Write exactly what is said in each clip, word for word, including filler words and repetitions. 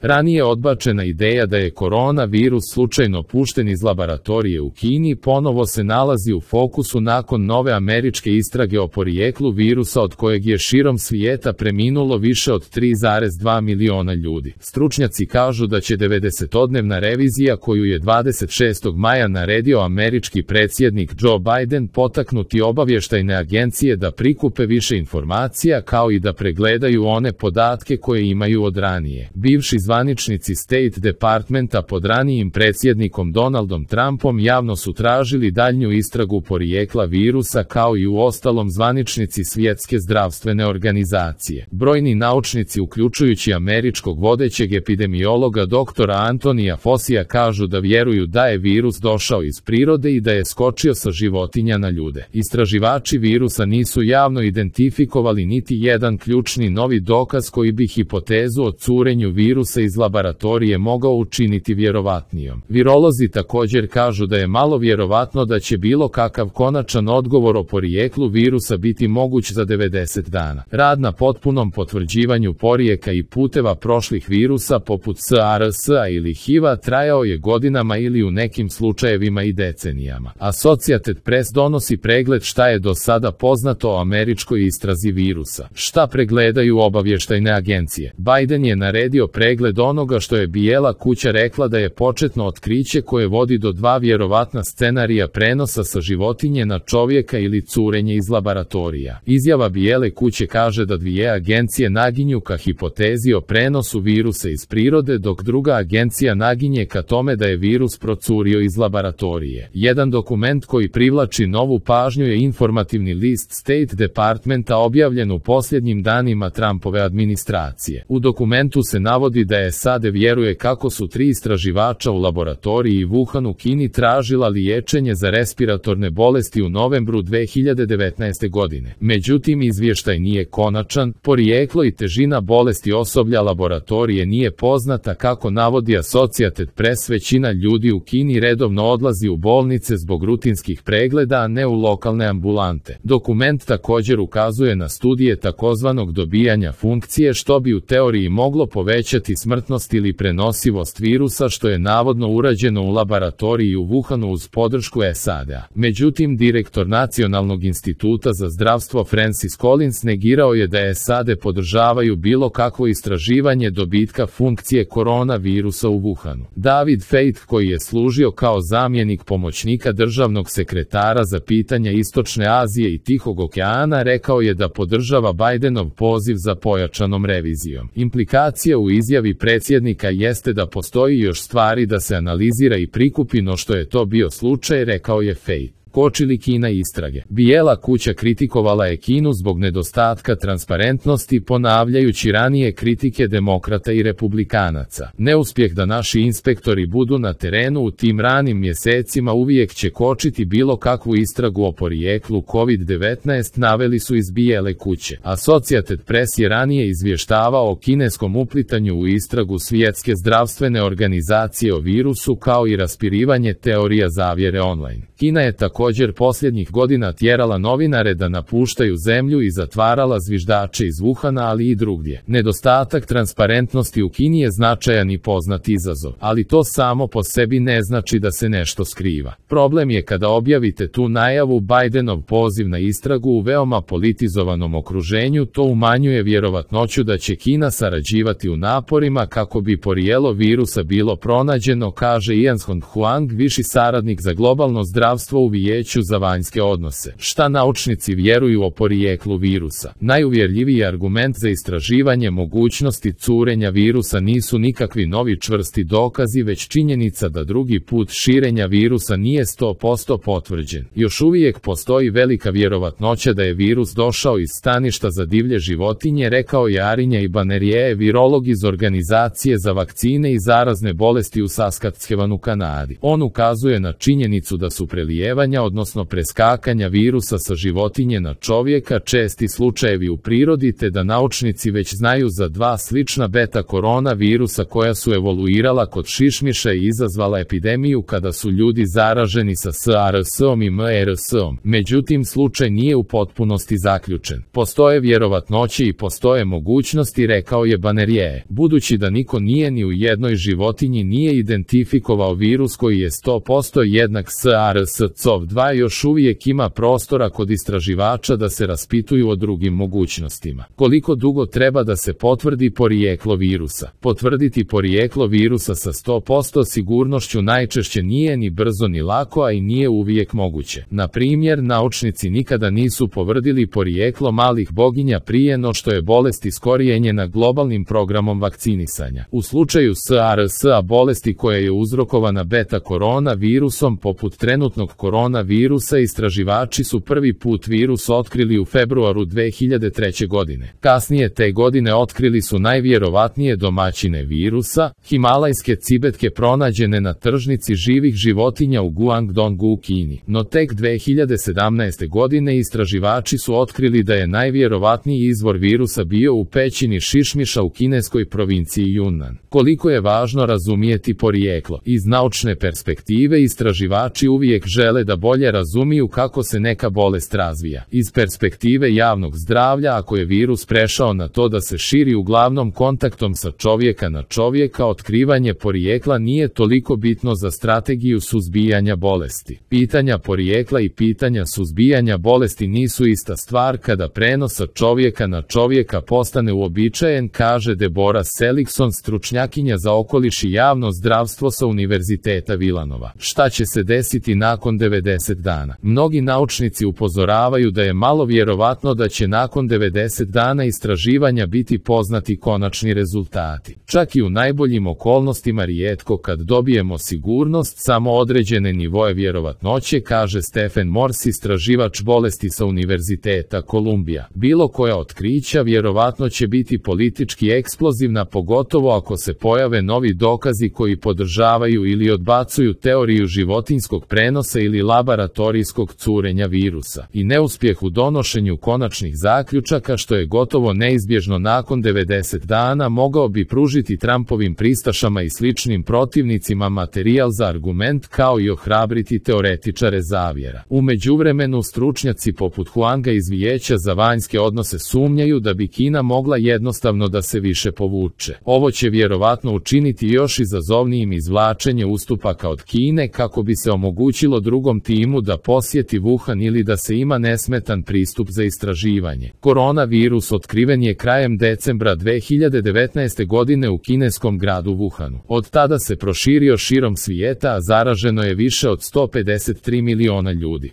Ranije odbačena ideja da je koronavirus slučajno pušten iz laboratorije u Kini ponovo se nalazi u fokusu nakon nove američke istrage o porijeklu virusa od kojeg je širom svijeta preminulo više od tri zarez dva miliona ljudi. Stručnjaci kažu da će devedesetodnevna revizija koju je dvadeset šestog maja naredio američki predsjednik Joe Biden potaknuti obavještajne agencije da prikupe više informacija kao i da pregledaju one podatke koje imaju od ranije. Bivši zvaničnici State Departmenta pod ranijim predsjednikom Donaldom Trumpom javno su tražili daljnju istragu porijekla virusa kao i u ostalom zvaničnici Svjetske zdravstvene organizacije. Brojni naučnici uključujući američkog vodećeg epidemiologa doktora Antonija Fosija kažu da vjeruju da je virus došao iz prirode i da je skočio sa životinja na ljude. Istraživači virusa nisu javno identifikovali niti jedan ključni novi dokaz koji bi hipotezu o curenju virusa iz laboratorije mogao učiniti vjerovatnijom. Virolozi također kažu da je malo vjerovatno da će bilo kakav konačan odgovor o porijeklu virusa biti moguć za devedeset dana. Rad na potpunom potvrđivanju porijeka i puteva prošlih virusa poput SARS-a ili H I V-a trajao je godinama ili u nekim slučajevima i decenijama. Associated Press donosi pregled šta je do sada poznato o američkoj istrazi virusa. Šta pregledaju obavještajne agencije? Biden je naredio pregled onoga što je Bijela kuća rekla da je početno otkriće koje vodi do dva vjerovatna scenarija prenosa sa životinje na čovjeka ili curenje iz laboratorija. Izjava Bijele kuće kaže da dvije agencije naginju ka hipotezi o prenosu virusa iz prirode, dok druga agencija naginje ka tome da je virus procurio iz laboratorije. Jedan dokument koji privlači novu pažnju je informativni list State Departmenta objavljen u posljednjim danima Trumpove administracije. U dokumentu se navodi da je S A D vjeruje kako su tri istraživača u laboratoriji Wuhan u Kini tražila liječenje za respiratorne bolesti u novembru dve hiljade devetnaeste. godine. Međutim, izvještaj nije konačan, porijeklo i težina bolesti osoblja laboratorije nije poznata, kako navodi Associated Press. Većina ljudi u Kini redovno odlazi u bolnice zbog rutinskih pregleda, a ne u lokalne ambulante. Dokument također ukazuje na studije takozvanog dobijanja funkcije, što bi u teoriji moglo povećati smrtnost ili prenosivost virusa, što je navodno urađeno u laboratoriji u Wuhanu uz podršku S A D-a. Međutim, direktor Nacionalnog instituta za zdravstvo Francis Collins negirao je da S A D podržavaju bilo kakvo istraživanje dobitka funkcije koronavirusa u Wuhanu. David Feit, koji je služio kao zamjenik pomoćnika državnog sekretara za pitanja Istočne Azije i Tihog okeana, rekao je da podržava Bidenov poziv za pojačanom revizijom. Implikacija u izjavi predsjednika jeste da postoji još stvari da se analizira i prikupi, no što je to bio slučaj, rekao je Feit. Koči li Kina istrage? Bijela kuća kritikovala je Kinu zbog nedostatka transparentnosti, ponavljajući ranije kritike demokrata i republikanaca. Neuspjeh da naši inspektori budu na terenu u tim ranim mjesecima uvijek će kočiti bilo kakvu istragu o porijeklu kovid devetnaest, naveli su iz Bijele kuće. Associated Press je ranije izvještavao o kineskom uplitanju u istragu Svjetske zdravstvene organizacije o virusu, kao i raspirivanje teorija zavjere online. Kina je također posljednjih godina tjerala novinare da napuštaju zemlju i zatvarala zviždače iz Wuhana, ali i drugdje. Nedostatak transparentnosti u Kini je značajan i poznat izazov, ali to samo po sebi ne znači da se nešto skriva. Problem je kada objavite tu najavu. Bidenov poziv na istragu u veoma politizovanom okruženju, to umanjuje vjerovatnoću da će Kina sarađivati u naporima kako bi porijelo virusa bilo pronađeno, kaže Ian Huang, viši saradnik za globalno zdravstvo u Vijeću za vanjske odnose. Šta naučnici vjeruju o porijeklu virusa? Najuvjerljiviji argument za istraživanje mogućnosti curenja virusa nisu nikakvi novi čvrsti dokazi, već činjenica da drugi put širenja virusa nije sto posto potvrđen. Još uvijek postoji velika vjerovatnoća da je virus došao iz staništa za divlje životinje, rekao je Arinja Ibanerije, virolog iz Organizacije za vakcine i zarazne bolesti u Saskatchewanu, Kanadi. On ukazuje na činjenicu da su prelijevanja širenja odnosno preskakanja virusa sa životinje na čovjeka česti slučajevi u prirodi te da naučnici već znaju za dva slična beta korona virusa koja su evoluirala kod šišmiša i izazvala epidemiju kada su ljudi zaraženi sa SARS-om i MERS-om. Međutim, slučaj nije u potpunosti zaključen. Postoje vjerovatnoće i postoje mogućnosti, rekao je Banerjee. Budući da niko nije ni u jednoj životinji nije identifikovao virus koji je sto posto jednak SARS-C o V dva, još uvijek ima prostora kod istraživača da se raspituju o drugim mogućnostima. Koliko dugo treba da se potvrdi porijeklo virusa? Potvrditi porijeklo virusa sa sto posto sigurnošću najčešće nije ni brzo ni lako, a i nije uvijek moguće. Na primjer, naučnici nikada nisu potvrdili porijeklo malih boginja prije no što je bolest iskorijenjena globalnim programom vakcinisanja. U slučaju SARS-a, bolesti koja je uzrokovana beta korona virusom poput trenutnog koronavirusa, istraživači su prvi put virus otkrili u februaru dve hiljade treće. godine. Kasnije te godine otkrili su najvjerovatnije domaćine virusa, himalajske cibetke pronađene na tržnici živih životinja u Guangdongu u Kini. No tek dve hiljade sedamnaeste. godine istraživači su otkrili da je najvjerovatniji izvor virusa bio u pećini šišmiša u kineskoj provinciji Yunnan. Koliko je važno razumijeti porijeklo? Iz naučne perspektive istraživači uvijek žele da bolje razumiju kako se neka bolest razvija. Iz perspektive javnog zdravlja, ako je virus prešao na to da se širi uglavnom kontaktom sa čovjeka na čovjeka, otkrivanje porijekla nije toliko bitno za strategiju suzbijanja bolesti. Pitanja porijekla i pitanja suzbijanja bolesti nisu ista stvar kada prenos sa čovjeka na čovjeka postane uobičajen, kaže Deborah Seligson, stručnjakinja za okoliš i javno zdravstvo sa Univerziteta Vilanova. Šta će se desiti nakon devedeset dana? Mnogi naučnici upozoravaju da je malo vjerovatno da će nakon devedeset dana istraživanja biti poznati konačni rezultati. Čak i u najboljim okolnostima rijetko kad dobijemo sigurnost, samo određene nivoe vjerovatnoće, kaže Stephen Morse, istraživač bolesti sa Univerziteta Kolumbija. Bilo koja otkrića vjerovatno će biti politički eksplozivna, pogotovo ako se pojave novi dokazi koji podržavaju ili odbacuju teoriju životinjskog prenosa ili laboratorijskog curenja virusa. I neuspjeh u donošenju konačnih zaključaka, što je gotovo neizbježno nakon devedeset dana, mogao bi pružiti Trumpovim pristašama i sličnim protivnicima materijal za argument, kao i ohrabriti teoretičare zavjera. U međuvremenu, stručnjaci poput Huanga iz Vijeća za vanjske odnose sumnjaju da bi Kina mogla jednostavno da se više povuče. Ovo će vjerovatno učiniti još izazovnijim izvlačenje ustupaka od Kine kako bi se omogućilo drugom timu da posjeti Wuhan ili da se ima nesmetan pristup za istraživanje. Koronavirus otkriven je krajem decembra dve hiljade devetnaeste. godine u kineskom gradu Wuhanu. Od tada se proširio širom svijeta, a zaraženo je više od sto pedeset tri miliona ljudi.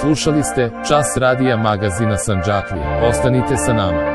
Slušali ste Čas radija magazina Sandžaklija. Ostanite sa nama.